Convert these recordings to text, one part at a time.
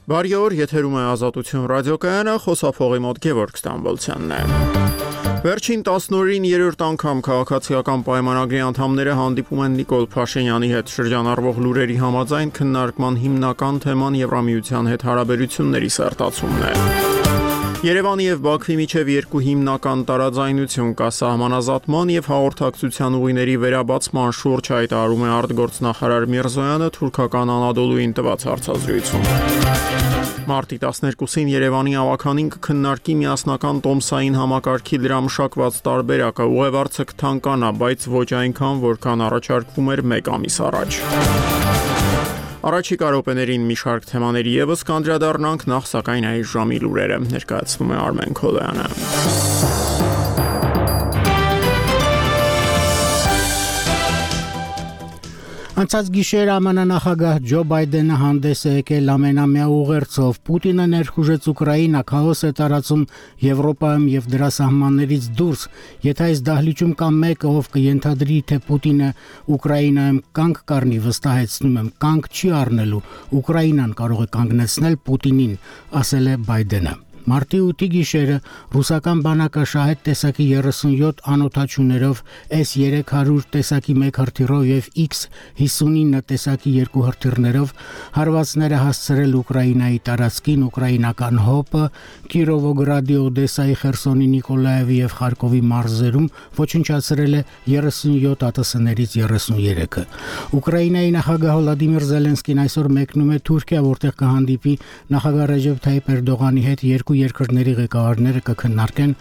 Բարի օր, եթերում է Ազատություն ռադիոկայանը, խոսափողի մոտ Գևորգ Ստամբոլցյանն է։ Վերջին 10 օրին երրորդ անգամ քաղաքացիական պայմանագրի անդամները հանդիպում են Նիկոլ Փաշինյանի հետ շրջանառվող լուրերի համաձայն քննարկման հիմնական թեման Եվրամիության հետ հարաբերությունների սերտացումն է։ Երևանի եւ Բաքվի միջև երկու հիմնական տարաձայնություն կա սահմանազատման եւ հաղորդակցության ուղիների վերաբացման շուրջ, հայտարարում է արտգործնախարար Միրզոյանը թուրքական Անադոլուին տված հարցազրույցում։ Մարտի 12-ին Երևանի ավականին կքննարկի միասնական տոմսային համակարգի դրա մշակված տարբերակը, ուղևորցը կթանկանա, բայց ոչ այնքան, որքան առաջարկվում էր 1 ամիս առաջ։ Առաջիկա րոպեներին մի շարք թեմաների եւս կանդրադառնանք, նախ սակայն այս ժամի լուրերը ներկայացնում է Արմեն Քոլոյանը։ Անցած գիշեր ԱՄՆ նախագահ Ջո Բայդենը հանդես է եկել ամենամյա ուղերձով։ Պուտինը ներխուժեց Ուկրաինա, քաոս է տարածում Եվրոպայում եւ դրա սահմաններից դուրս։ Եթե այս դահլիճում կա մեկը, ով կենթադրի, թե Պուտինը Ուկրաինայում կանգ կառնի, վստահեցնում եմ, կանգ չի առնելու։ Ուկրաինան կարող է կանգնեցնել Պուտինին, ասել է Բայդենը։ Մարտի 8-ի գիշերը ռուսական բանակը շահեդ տեսակի 37 անօդաչուներով, S-300 տեսակի 1 հրթիռով եւ X-59 տեսակի 2 հրթիռներով հարվածներ է հասցրել Ուկրաինայի տարածքին, ուկրաինական ՀՕՊ-ը, Կիրովոգրադի, Օդեսայի, Խերսոնի, Նիկոլաևի եւ Խարկովի մարզերում ոչնչացրել է 37 ԱՏՍ-ներից 33-ը։ Ուկրաինայի նախագահ Վլադիմիր Զելենսկին այսօր մեկնում է Թուրքիա, որտեղ կհանդիպի նախագահ Ռեջեփ Թայիփ Էրդողանի հետ երկու երկրների ղեկավարները կքննարկեն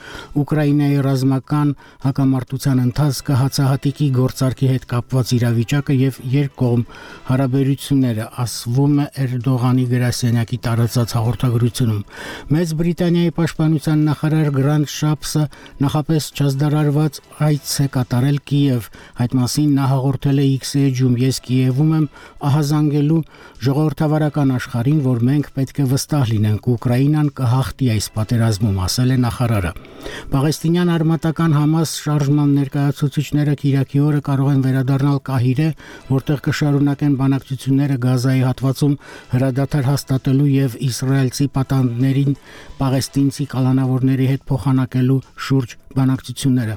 Ուկրաինայի ռազմական հակամարտության ընթացքը, հացահատիկի գործարքի հետ կապված իրավիճակը եւ երկկողմ հարաբերությունները, ասվում է Էրդողանի գրասենյակի տարածած հաղորդագրությունում։ Մեծ Բրիտանիայի պաշտպանության նախարար Գրանտ Շապսը նախապես չազդարարված այց է կատարել Կիև։ Այդ մասին նա հաղորդել է X-ում. «Ես Կիևում եմ ահազանգելու ժողովրդավարական աշխարհին, որ մենք պետք է վստահ լինենք, Ուկրաինան կհաղթի այս պատերազմում», ասել է նախարարը։ Պաղեստինյան արմատական Համաս շարժման ներկայացուցիչները Կիրակի օրը կարող են վերադառնալ Կահիրե, որտեղ կշարունակեն բանակցությունները Գազայի հատվածում հրադադար հաստատելու եւ իսրայելցի պատանդներին պաղեստինցի կալանավորների հետ փոխանակելու շուրջ բանակցությունները։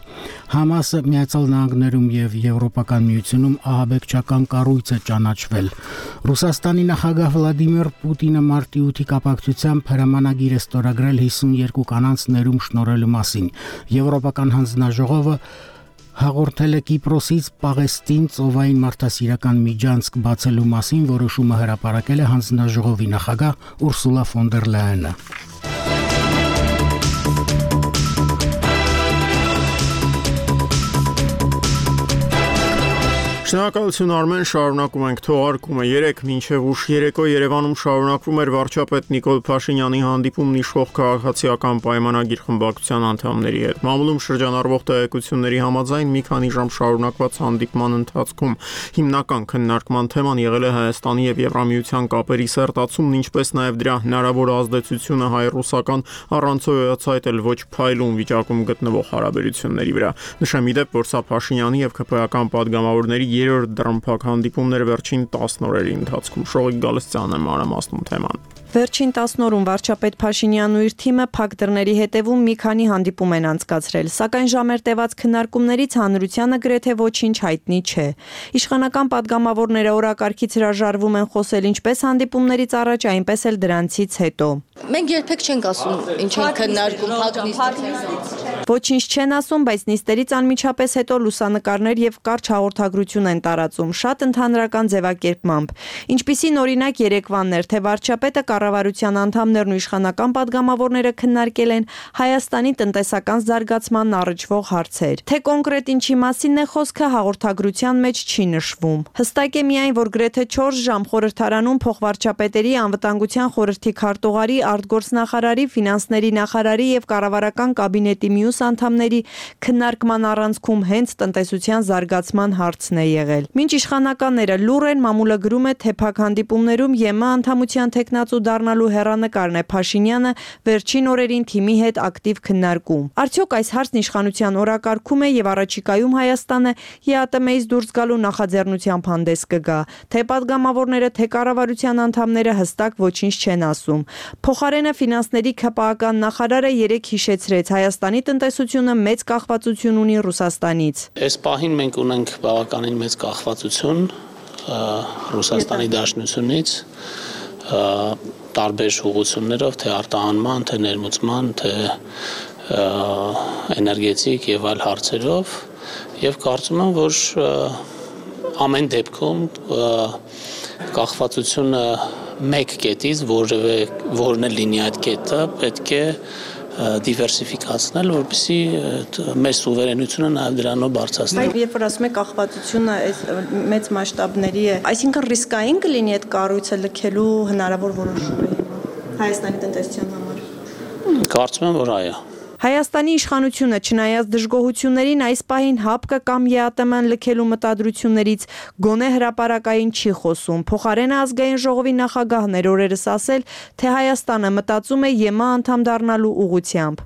Համասը Միացյալ Նահանգներում եւ Եվրոպական միությունում ահաբեկչական կառույց է ճանաչվել։ Ռուսաստանի նախագահ Վլադիմիր Պուտինը մարտի 8-ի կապակցությամբ հրամանագիր է ստորագրել 52 կանանց ներում շնորհելու մասին։ Եվրոպական հանձնաժողովը հաղորդել է Կիպրոսից Պաղեստին ծովային մարդասիրական միջանցք բացելու մասին, որոշումը հրապարակել է հանձնաժողովի նախագահ Ուրսուլա ֆոն դեր Լայենը։ Շնորհակալություն Արմեն, շարունակում ենք թողարկումը։ 3 մինչև ուշ երեկո Երևանում շարունակվում էր վարչապետ Նիկոլ Փաշինյանի հանդիպումն իշխող քաղաքացիական պայմանագիր խմբակցության անդամների հետ։ Մամուլում շրջանառվող տեղեկությունների համաձայն մի քանի ժամ շարունակված հանդիպման ընթացքում հիմնական քննարկման թեման եղել է Հայաստանի եւ Եվրամիության կապերի սերտացումն, ինչպես նաեւ դրա հնարավոր ազդեցությունը հայ-ռուսական առանցոյացայտ էլ ոչ փայլուն վիճակում գտնվող հարաբերությունների վրա։ Նշեմ ի դեպ, որ սա Փաշինյանի եւ ԿՓ-ական падգամավորների երրորդ դրամփակ հանդիպումները վերջին 10 օրերի ընթացքում։ Շողիկ Գալստյանն է մանրամասնում թեման։ Վերջին 10 օրում վարչապետ Փաշինյանն ու իր թիմը փակ դռների հետևում մի քանի հանդիպում են անցկացրել, սակայն ժամեր տևած քննարկումներից հանրությանը գրեթե ոչինչ հայտնի չէ։ Իշխանական падգամավորները օրակարգից հրաժարվում են խոսել ինչպես հանդիպումներից առաջ, այնպես էլ դրանցից հետո։ Մենք երբեք չենք ասում ինչ են քննարկում փակ նիստից։ Ոչինչ չեն ասում, բայց նիստերից անմիջապես հետո լուսանկարներ եւ կարճ հաղորդագրություն են տարածում, շատ ընդհանրական ձևակերպմամբ։ Ինչպիսին օրինակ երեկվանն էր, թե վարչապետը կառավարության անդամներն ու իշխանական падգամավորները քննարկել են Հայաստանի տնտեսական զարգացմանն առնչվող հարցեր։ Թե կոնկրետ ինչի մասին է խոսքը, հաղորդագրության մեջ չի նշվում։ Հստակ է միայն, որ գրեթե 4 ժամ խորհրդարանում փոխվարչապետերի, անվտանգության խորհրդի քարտուղարի, արտգործնախարարի, ֆինանսների նախարարի եւ կառավարական կաբինետի մյուս կորպուս անդամների քննարկման առանցքում հենց տնտեսության զարգացման հարցն է եղել։ Մինչ իշխանականները լուռ են, մամուլը գրում է, թե փակ հանդիպումներում ԵՄ անդամության թեկնածու դառնալու հեռանկարն է Փաշինյանը վերջին օրերին թիմի հետ ակտիվ քննարկում։ Արդյոք այս հարցն իշխանության օրակարգում է եւ առաջիկայում Հայաստանը ԵԱՏՄ-ից դուրս գալու նախաձեռնությամբ հանդես կգա, թե պատգամավորները, թե կառավարության անդամները հստակ ոչինչ չեն ասում։ Փոխարենը ֆինանսների ՔՊԱ-ական նախարարը երեկ հիշեցրեց, Հայաստանի տնտեսությունը մեծ կախվածություն ունի Ռուսաստանից։ Այս պահին մենք ունենք բավականին մեծ կախվածություն Ռուսաստանի Դաշնությունից տարբեր ուղղություններով, թե արտահանման, թե ներմուծման, թե էներգետիկ եւ այլ հարցերով, եւ կարծում եմ, որ ամեն դեպքում կախվածությունը մեկ կետից, որն է լինի այդ կետը, պետք է դիվերսիֆիկացնել, որպեսզի մեր սուվերենությունը նաև դրանով բարձրացնել։ Բայց երբ որ ասում եք կախվածությունը այս մեծ մասշտաբների է, այսինքն ռիսկային կլինի այդ կառույցը լքելու հնարավոր որոշումը Հայաստանի տնտեսության համար։ Կարծում եմ, որ այո։ Հայաստանի իշխանությունը չնայած դժգոհություններին այս պահին ՀԱՊԿ կամ ԵԱՏՄ-ն լքելու մտադրություններից գոնե հրապարակային չի խոսում։ Փոխարենը ազգային ժողովի նախագահն էր օրերս ասել, թե Հայաստանը մտածում է ԵՄ անդամ դառնալու ուղղությամբ։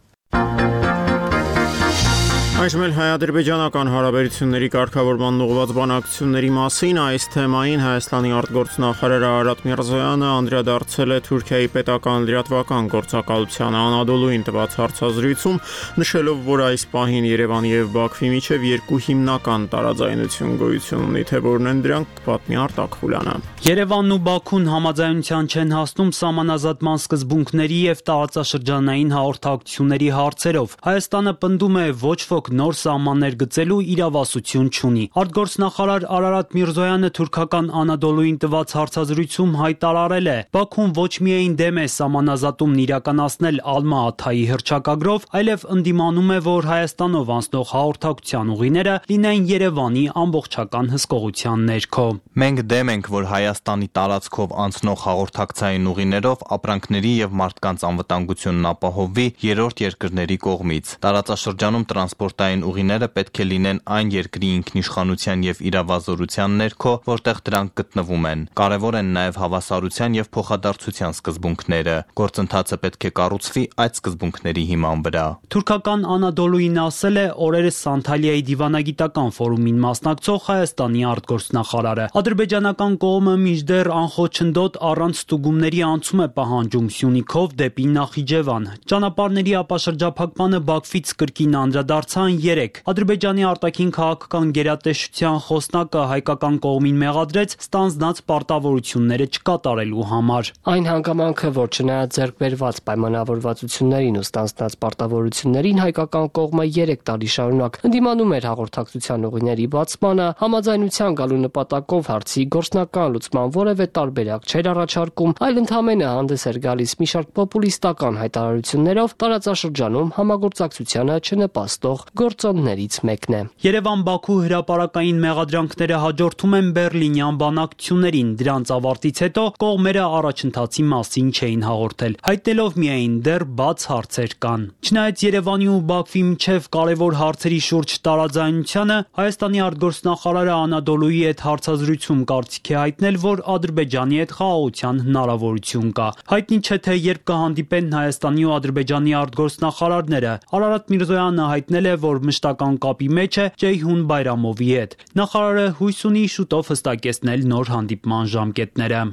Այժմ էլ հայ-ադրբեջանական հարաբերությունների կարգավորման ուղղված բանակցությունների մասին այս թեմային Հայաստանի արտգործնախարար Արարատ Միրզոյանը անդրադարձել է Թուրքիայի պետական լրատվական գործակալությանը Անադոլուին տված հարցազրույցում, նշելով, որ այս պահին Երևանի եւ Բաքվի միջև երկու հիմնական տարաձայնություն գոյություն ունի, թե որն են դրանք, պատմի Արտակ Խուլյանը։ Երևանն ու Բաքուն համաձայնության չեն հասնում սահմանազատման սկզբունքների եւ տարածաշրջանային հաղորդակցությունների հարցերով։ Հայաստանը պնդում է ոչ ոք նոր սահմաններ գծելու իրավասություն չունի։ Արտգործնախարար Արարատ Միրզոյանը թուրքական Անադոլուին տված հարցազրույցում հայտարարել է. Բաքուն ոչ միայն դեմ է սահմանազատումն իրականացնել Ալմա-Աթայի հռչակագրով, այլև ընդդիմանում է, որ Հայաստանով անցնող հաղորդակցության ուղիները լինեն Երևանի ամբողջական հսկողության ներքո։ Մենք դեմ ենք, որ Հայաստանի տարածքով անցնող հաղորդակցային ուղիներով ապրանքների եւ մարդկանց անվտանգությունն ապահովվի երրորդ երկրների կողմից։ Տարածաշրջանում տրանսպորտային ուղիները պետք է լինեն այն երկրի ինքնիշխանության եւ իրավազորության ներքո, որտեղ դրանք գտնվում են։ Կարևոր են նաեւ հավասարության եւ փոխադարձության սկզբունքները։ Գործընթացը պետք է կառուցվի այդ սկզբունքների հիման վրա։ Թուրքական Անադոլուին ասել է օրերս Անտալիայի դիվանագիտական ֆորումին մասնակցող Հայաստանի արտգործնախարարը։ Ադրբեջանական կողմը մինչդեռ անխոչնդոտ առանց ստուգումների անցում է պահանջում Սյունիքով դեպի Նախիջևան։ Ճանապարհների ապաշրջափակմանը Բաքվից կրկին անդրադարձան 3։ Ադրբեջանի արտաքին քաղաքական գերատեսչության խոսնակը հայկական կողմին մեղադրեց ստանձնած պարտավորությունները չկատարելու համար։ Այն հանգամանքը, որ չնայած ձեռքբերված պայմանավորվածություններին ու ստանձնած պարտավորություններին հայկական կողմը 3 տարի շարունակ ընդդիմանում էր հաղորդակցության ուղիների բացմանը, համաձայնության գալու նպատակով հարցի գործնական լուծման որևէ տարբերակ չէր առաջարկում, այլ ընդհանրապես հանդես էր գալիս մի շարք պոպուլիստական հայտարարություններով տարածաշրջանում համագործակցությանը չնպաստող գործոններից մեկն է։ Երևան-Բաքու հրապարակային մեղադրանքները հաջորդում են Բեռլինյան բանակցություններին։ Դրանց ավարտից հետո կողմերը առաջընթացի մասին չէին հաղորդել, հայտնելով միայն դեռ բաց հարցեր կան։ Չնայած Երևանի ու Բաքվի միջև կարևոր հարցերի շուրջ տարաձայնությանը, Հայաստանի արտգործնախարարը Անադոլուի հետ հարցազրույցում կարծիք է հայտնել, որ Ադրբեջանի հետ խաղաղության հնարավորություն կա։ Հայտնի չէ, թե երբ կհանդիպեն Հայաստանի ու Ադրբեջանի արտգործնախարարները։ Արարատ Միրզոյանը հայտնել է, որ մշտական կապի մեջ է Ceyhun Bayramovի հետ։ Նախարարը հույս ունի շուտով հստակեցնել նոր հանդիպման ժամկետները։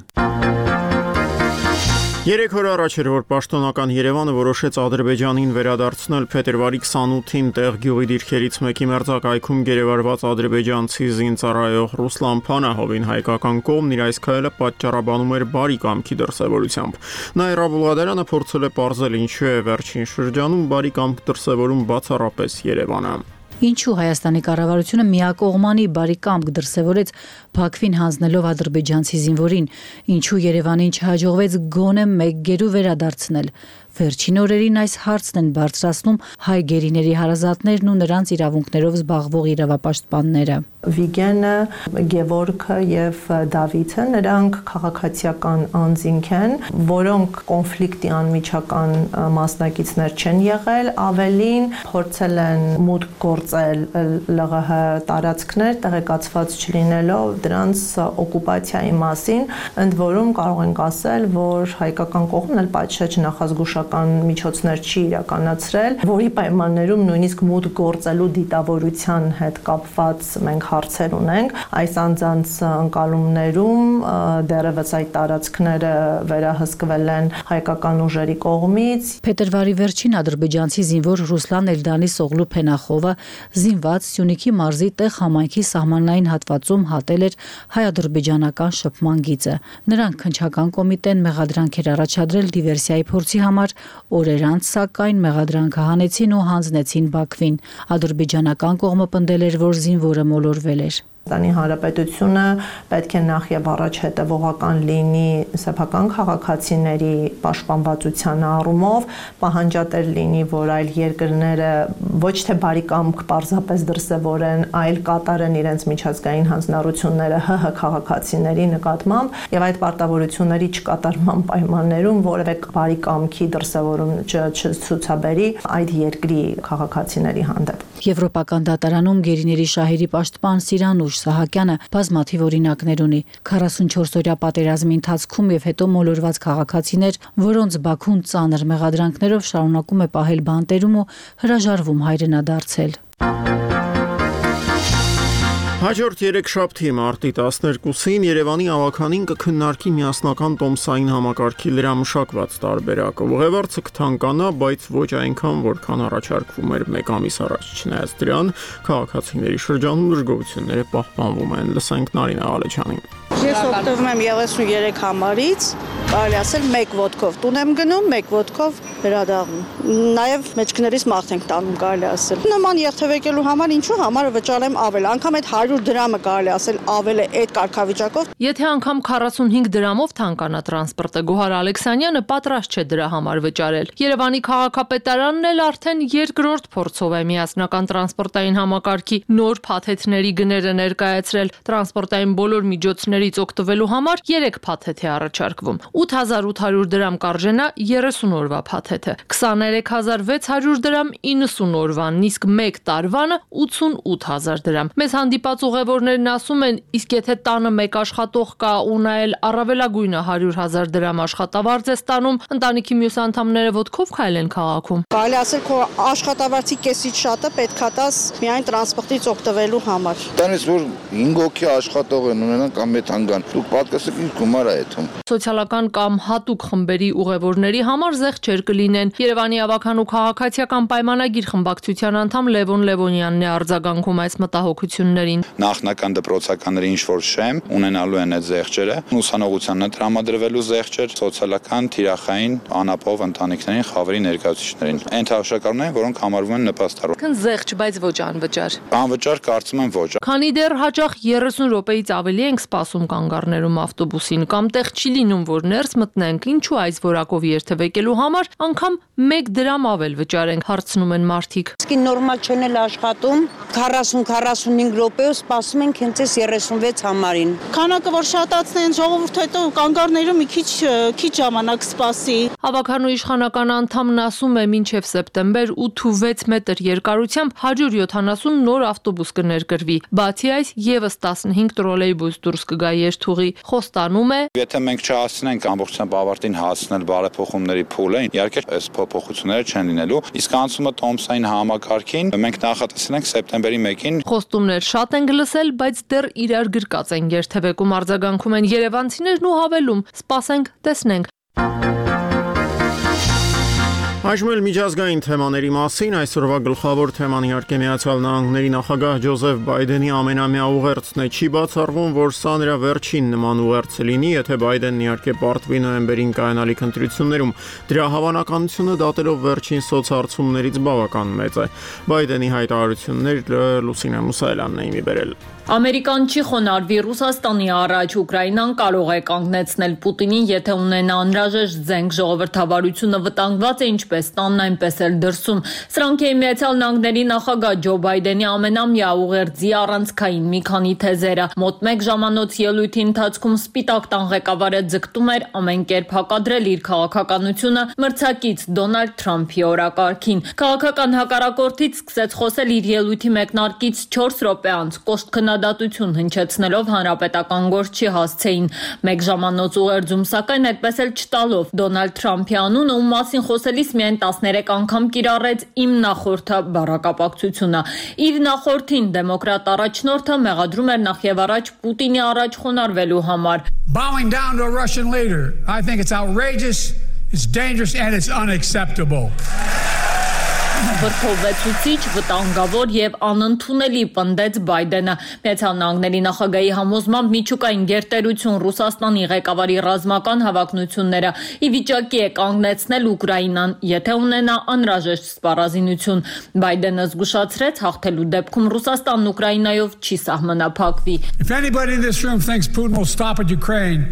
3 օր առաջ էր, որ պաշտոնական Երևանը որոշեց Ադրբեջանին վերադարձնել փետրվարի 28-ին տեղ գյուղի դիրքերից մեկի մերձակայքում գերեվարված ադրբեջանցի զինծառայող Ռուսլան Փանահովին հայկական կողմն իր այս քայլը պատճառաբանում էր բարի կամքի դրսևորությամբ։ Նաիրա Բուլղադարյանը փորձել է պարզել ինչու է վերջին շրջանում բարի կամք դրսևորում բացառապես Երևանը։ Ինչու Հայաստանի կառավարությունը միակողմանի բարի կամք դրսևորեց Բաքվին հանձնելով ադրբեջանցի զինվորին, ինչու Երևանին չհաջողվեց գոնե մեկ գերու վերադարձնել։ Վերջին օրերին այս հարցն են բարձրացնում հայ գերիների հարազատներն ու նրանց իրավունքներով զբաղվող իրավապաշտպանները։ Վիգենը, Գևորգը եւ Դավիթը նրանք քաղաքացիական անձինք են, որոնք կոնֆլիկտի անմիջական մասնակիցներ չեն եղել, ավելին փորձել են մուտք գործել ԼՂՀ տարածքներ, տեղեկացված չլինելով դրանց օկուպացիայի մասին, ընդ որում կարող ենք ասել, որ հայկական կողմն էլ պատշաճ նախազգուշական միջոցներ չի իրականացրել, որի պայմաններում նույնիսկ մուտք գործելու դիտավորության հետ կապված մենք հարցեր ունենք, այս անձանց ընկալումներում դեռևս այդ տարածքները վերահսկվել են հայկական ուժերի կողմից։ Փետրվարի վերջին ադրբեջանցի զինվոր Ռուսլան Էլդանի Սողլու Փենախովը զինված Սյունիքի մարզի տեղ համայնքի սահմանային հատվածում հատել էր հայ-ադրբեջանական շփման գիծը։ Նրանք քննչական կոմիտեն մեղադրանք էր առաջադրել դիվերսիայի փորձի համար, օրեր անց սակայն մեղադրանքը հանեցին ու հանձնեցին Բաքվին։ Ադրբեջանական կողմը պնդել էր, որ զինվորը մոլորվել էր։ Հայաստանի Հանրապետությունը պետք է նախ եւ առաջ հետևողական լինի սեփական քաղաքացիների պաշտպանվածության առումով, պահանջատեր լինի, որ այլ երկրները ոչ թե բարի կամք պարզապես դրսևորեն, այլ կատարեն իրենց միջազգային հանձնառությունները ՀՀ քաղաքացիների նկատմամբ եւ այդ պարտավորությունների չկատարման պայմաններում որևէ բարի կամքի դրսևորում չցուցաբերի այդ երկրի քաղաքացիների հանդեպ։ Եվրոպական դատարանում գերիների շահերի պաշտպան Սիրանուշ Սահակյանը բազմաթիվ օրինակներ ունի 44-օրյա պատերազմի ընթացքում եւ հետո մոլորված քաղաքացիներ, որոնց Բաքուն ծանր մեղադրանքներով շարունակում է պահել բանտերում ու հրաժարվում հայրենադարձել։ Հաջորդ երեքշաբթի մարտի 12-ին Երևանի ավականին կքննարկի միասնական տոմսային համակարգի լրամշակված տարբերակը։ Ուղևորցը կթանկանա, բայց ոչ այնքան, որքան առաջարկվում էր մեկ ամիս առաջ։ Չնայած դրան, քաղաքացիների շրջանում դժգոհությունները պահպանվում են։ Լսենք Նարինե Ալեչյանին։ Ես օգտվում եմ 33 համարից, կարելի ասել 1 ոտքով տուն եմ գնում, 1 ոտքով վերադառնում։ Նաև մեջքներից մաղթ ենք տանում, կարելի ասել։ Նման երթևեկելու համար ինչու համարը վճարեմ ավել, անգամ այդ 100 դրամը կարելի ասել ավել է այդ կարգավիճակով։ Եթե անգամ 45 դրամով թանկանա տրանսպորտը, Գոհար Ալեքսանյանը պատրաստ չէ դրա համար վճարել։ Երևանի քաղաքապետարանն էլ արդեն երկրորդ փորձով է միասնական տրանսպորտային համակարգի նոր փաթեթների գները ներկայացրել։ Տրանսպորտային բոլոր միջոցներից օգտվելու համար 3 փաթեթ է առաջարկվում։ 8800 դրամ կարժենա 30 օրվա փաթեթը, 23600 դրամ 90 օրվան, իսկ 1 տարվանը 88000 դրամ։ Մեզ հանդիպած ուղևորներն ասում են, իսկ եթե տանը մեկ աշխատող կա ու նա էլ առավելագույնը 100,000 դրամ աշխատավարձ է ստանում, ընտանիքի մյուս անդամները ոտքով քայլեն քաղաքում։ Կարելի ասել քո աշխատավարձի կեսից շատը պետքա տաս միայն տրանսպորտից օգտվելու համար։ Տանից որ 5 հոգի աշխատող են ունենան կամ մեծ հանգան, դուք պատկասեք ինչ գումար է այդում։ Սոցիալական կամ հատուկ խմբերի ուղևորների համար զեղչեր կլինեն։ Երևանի ավական ու քաղաքացիական պայմանագիր խմբակցության անդամ Լևոն Լևոնյանն է արձագանքում այս մտահոգություններին։ Նախնական դպրոցականների ինչ որ շեմ ունենալու են այդ զեղչերը, ուսանողությանն է տրամադրվելու զեղչեր, սոցիալական, թիրախային, անապահով ընտանիքներին, խավերի ներկայացուցիչներին։ Այն թավշակառներն, որոնք համարվում են նպաստավոր։ Քան զեղչ, բայց ոչ անվճար։ Անվճար կարծում եմ ոչ։ Քանի դեռ հաճախ 30 րոպեից ավելի ենք սպասում կանգառներում ավտոբուսին կամ տեղ չի լինում, որ ներս մտնենք, ինչու այս որակով երթևեկելու համար անգամ 1 դրամ ավել վճարենք, հարցնում են մարդիկ։ Իսկ նորմալ չեն էլ աշխատում, 40-45 րոպեով սպասում ենք հենց այս 36 համարին։ Քանակը որ շատացնեն, ժողովուրդը հետո կանգառներում մի քիչ ժամանակ սպասի։ Ավականու իշխանական անդամն ասում է, մինչև սեպտեմբեր 8.6 մետր երկարությամբ 170 նոր ավտոբուս կներկրվի։ Բացի այս, եւս 15 տրոլեյբուս դուրս կգա երթուղի։ Խոստանում է, եթե մենք չհասցնենք ամբողջությամբ ավարտին հասցնել բարեփոխումների փուլը, իհարկե այս փոփոխությունները չեն լինելու, իսկ անցումը տոմսային համակարգին մենք նախատեսել ենք սեպտեմբերի 1-ին։ Խոստումներ շատ են լսել, բայց դեռ իրար գրկած են երթևեկում, արձագանքում են երևանցիներն ու հավելում. սպասենք, տեսնենք։ Այժմ էլ միջազգային թեմաների մասին այսօրվա գլխավոր թեման իհարկե Միացյալ Նահանգների նախագահ Ջոզեֆ Բայդենի ամենամյա ուղերձն է։ Չի բացառվում, որ սա նրա վերջին նման ուղերձը լինի, եթե Բայդենն իհարկե պարտվի նոյեմբերին կայանալիք ընտրություններում։ Դրա հավանականությունը դատելով վերջին սոցհարցումներից բավական մեծ է։ Բայդենի հայտարարությունները Լուսինե Մուսայելյանն է իմի բերել։ Ամերիկան չի խոնարհվի Ռուսաստանի առաջ, Ուկրաինան կարող է կանգնեցնել Պուտինին, եթե ունենա անհրաժեշտ զենք, ժողովրդավարությունը վտանգված է ինչպես տանն, այնպես էլ դրսում։ Սրանք էին Միացյալ Նահանգների նախագահ Ջո Բայդենի ամենամյա ուղերձի առանցքային մի քանի թեզերը։ Մոտ 1 ժամանոց ելույթի ընթացքում Սպիտակ տան ղեկավարը ձգտում էր ամեն կերպ հակադրել իր քաղաքականությունը մրցակից Դոնալդ Թրամփի օրակարգին։ Քաղաքական հակառակորդից սկսեց խոսել իր ելույթի մեկնարկից 4 րոպե անց, կոշտ քննադատություն հնչեցնելով հանրապետական գործչի հասցեին։ 1 ժամանոց ուղերձում, սակայն այդպես էլ չտալով Դոնալդ Թրամփի անունը, ում մասին խոսելիս միայն 13 անգամ կիրառեց «իմ նախորդը» բառակապակցությունը։ Իր նախորդին դեմոկրատ առաջնորդը մեղադրում էր նախևառաջ Պուտինի առաջ խոնարհվելու համար։ Bowing down to a Russian leader, I think it's outrageous, it's dangerous and it's unacceptable. Վրդովվեցուցիչ, վտանգավոր եւ անընդունելի պնդեց Բայդենը։ Միացյալ Նահանգների նախագահի համոզմամբ միջուկային գերտերություն Ռուսաստանի ղեկավարի ռազմական հավակնությունները ի վիճակի է կանգնեցնել Ուկրաինան, եթե ունենա անհրաժեշտ սպառազինություն։ Բայդենը զգուշացրեց, հաղթելու դեպքում Ռուսաստանն Ուկրաինայով չի սահմանափակվի։ If anybody in this room thinks Putin will stop at Ukraine,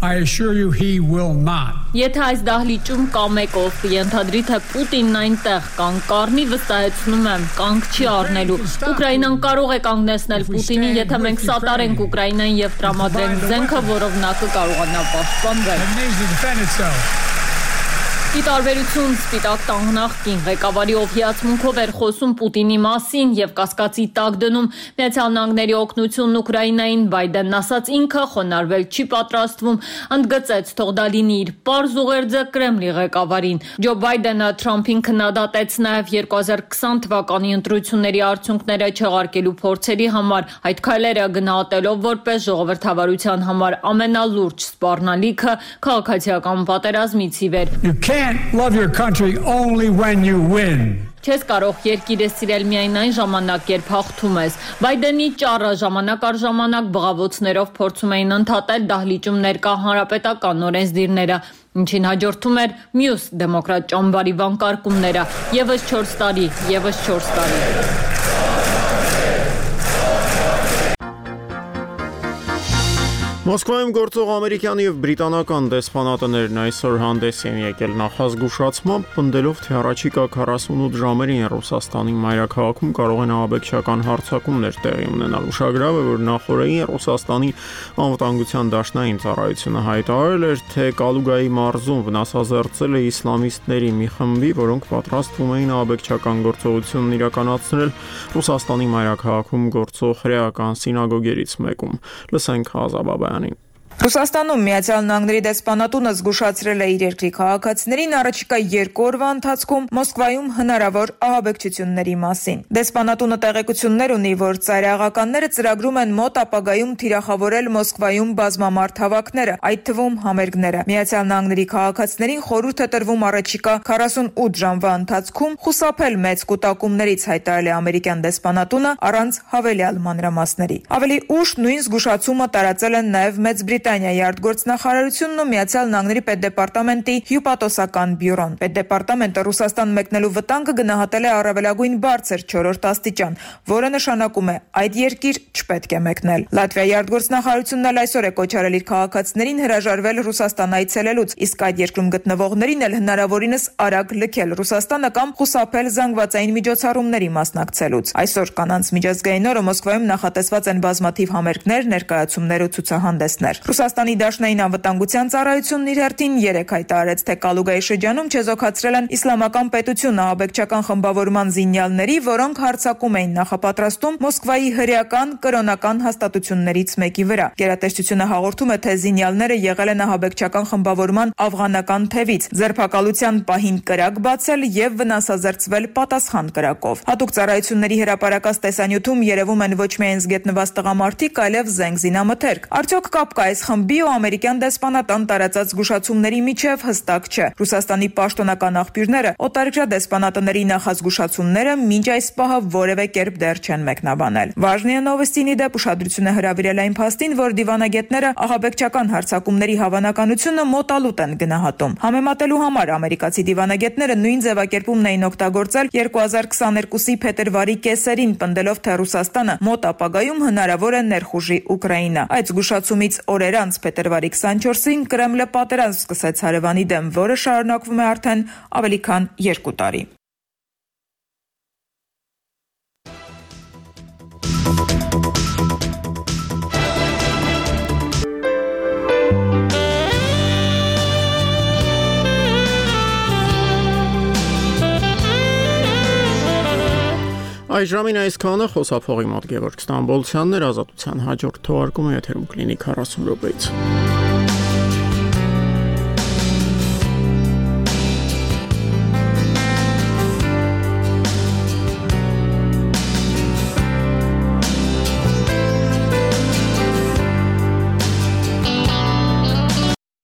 I assure you he will not. Եթե այս դահլիճում կա մեկով կընդհանրի թե Պուտինն այնտեղ կան կառնի, վստահեցնում եմ, կանգ չի առնելու։ Ուկրաինան կարող է կանգնեցնել Պուտինին, եթե մենք սատարենք Ուկրաինային եւ տրամադրենք զենքը, որով նա կկարողանա պաշտպանվել։ Ի տարբերություն Սպիտակ տան նախկին ղեկավարի, ով հիացմունքով էր խոսում Պուտինի մասին եւ կասկածի տակ դնում Միացյալ Նահանգների օգնությունն Ուկրաինային, Բայդենն ասաց ինքը խոնարհվել չի պատրաստվում, ընդգծեց թող դա լինի իր պարզ ուղերձը Կրեմլի ղեկավարին։ Ջո Բայդենը Թրամփին քննադատեց նաեւ 2020 թվականի ընտրությունների արդյունքները չեղարկելու փորձերի համար, այդ քայլերը գնահատելով որպես ժողովրդավարության համար ամենալուրջ սպառնալիքը քաղաքացիական պատերազմից ի վեր։ Love your country only when you win. Չես կարող երկիրը սիրել միայն այն ժամանակ, երբ հաղթում ես։ Բայդենի ճառը ժամանակ առ ժամանակ բղավոցներով փորձում էին ընդհատել դահլիճում ներկա հանրապետական օրենսդիրները, ինչին հաջորդում էր մյուս դեմոկրատ ճամբարի վանկարկումները։ Եվս 4 տարի, եվս 4 տարի։ Մոսկվայում գործող ամերիկյան եւ բրիտանական դեսպանատներն այսօր հանդես են եկել նախազգուշացմամբ, պնդելով, թե առաջիկա 48 ժամերին Ռուսաստանի մայրաքաղաքում կարող են ահաբեկչական հարձակումներ տեղի ունենալ։ Ուշագրավ է, որ նախորդին Ռուսաստանի անվտանգության դաշնային ծառայությունը հայտարարել էր, թե Կալուգայի մարզում վնասազերծել է իսլամիստների մի խմբի, որոնք պատրաստվում էին ահաբեկչական գործողությունն իրականացնել Ռուսաստանի մայրաքաղաքում գործող հրեական սինագոգերից մեկում։ Լսենք Ազաբաբյանին։ Ռուսաստանում Միացյալ Նահանգների դեսպանատունը զգուշացրել է իր երկրի քաղաքացիներին առաջիկա 2 օրվա ընթացքում Մոսկվայում հնարավոր ահաբեկչությունների մասին։ Դեսպանատունը տեղեկություններ ունի, որ ծայրահեղականները ծրագրում են մոտ ապագայում թիրախավորել Մոսկվայում բազմամարդ հավաքները, այդ թվում համերգները։ Միացյալ Նահանգների քաղաքացիներին խորհուրդ է տրվում առաջիկա 48 ժամվա ընթացքում խուսափել մեծ կուտակումներից, հայտարարել է ամերիկյան դեսպանատունը առանց հավելյալ մանրամասների։ Ավելի ուշ նույն զգուշացումը տարածել են նաև Մեծ Բրիտանիայի արտգործնախարարությունն ու Միացյալ Նահանգների պետդեպարտամենտի հյուպատոսական բյուրոն։ Պետդեպարտամենտը Ռուսաստան մեկնելու վտանգը գնահատել է առավելագույն բարձր 4-րդ աստիճան, որը նշանակում է այդ երկիր չպետք է մեկնել։ Լատվիայի արտգործնախարարությունն էլ այսօր է կոչ արել իր քաղաքացիներին հրաժարվել Ռուսաստան այցելելուց, իսկ այդ երկրում գտնվողներին էլ հնարավորինս արագ լքել Ռուսաստանը կամ խուսափել զանգվածային միջոցառումների մասնակցելուց։ Այսօր կանանց միջազգային օրը Մոսկվայում նախատեսված են բազմաթիվ համերգներ, ներկայացումներ ու ցուցահանդեսներ։ Ռուսաստանի դաշնային անվտանգության ծառայությունն իր հերթին 3 հայտարարեց, թե Կալուգայի շրջանում չեզոքացրել են իսլամական պետություն ահաբեկչական խմբավորման զինյալների, որոնք հարձակում էին նախապատրաստում Մոսկվայի հրեական կրոնական հաստատություններից մեկի վրա։ Գերատեսչությունը հաղորդում է, թե զինյալները եղել են ահաբեկչական խմբավորման աֆղանական թևից, ձերբակալության պահին կրակ բացել եւ վնասազերծվել պատասխան կրակով։ Հատուկ ծառայությունների հրապարակած տեսանյութում երևում են ոչ միայն զգետնված տղամարդիկ, այլև զենք զինամթերք։ Արդյոք կապ կա այս այս խմբի ու ամերիկյան դեսպանատան տարածած զգուշացումների միջև հստակ չէ։ Ռուսաստանի պաշտոնական աղբյուրները օտարերկրյա դեսպանատների նախազգուշացումները մինչ այս պահը որևէ կերպ դեռ չեն մեկնաբանել։ Վաժնիա Նովոստինի դեպ ուշադրություն է հրավիրել այն փաստին, որ դիվանագետները ահաբեկչական հարձակումների հավանականությունը մոտալուտ են գնահատում։ Համեմատելու համար ամերիկացի դիվանագետները նույն ձևակերպումն էին օգտագործել 2022-ի փետրվարի կեսերին, պնդելով, թե Ռուսաստանը մոտ ապագայում հնարավոր է ներխուժի Ուկրաինա։ Այդ զգուշացումից օրեր անց փետրվարի 24-ին Կրեմլը պատերազմ սկսեց հարևանի դեմ, որը շարունակվում է արդեն ավելի քան 2 տարի։ Այժմին այսքանը խոսափողի մոտ Գևորգ Ստամբոլցյանն էր, Ազատության հաջորդ թողարկումը եթերում կլինի 40 րոպեից։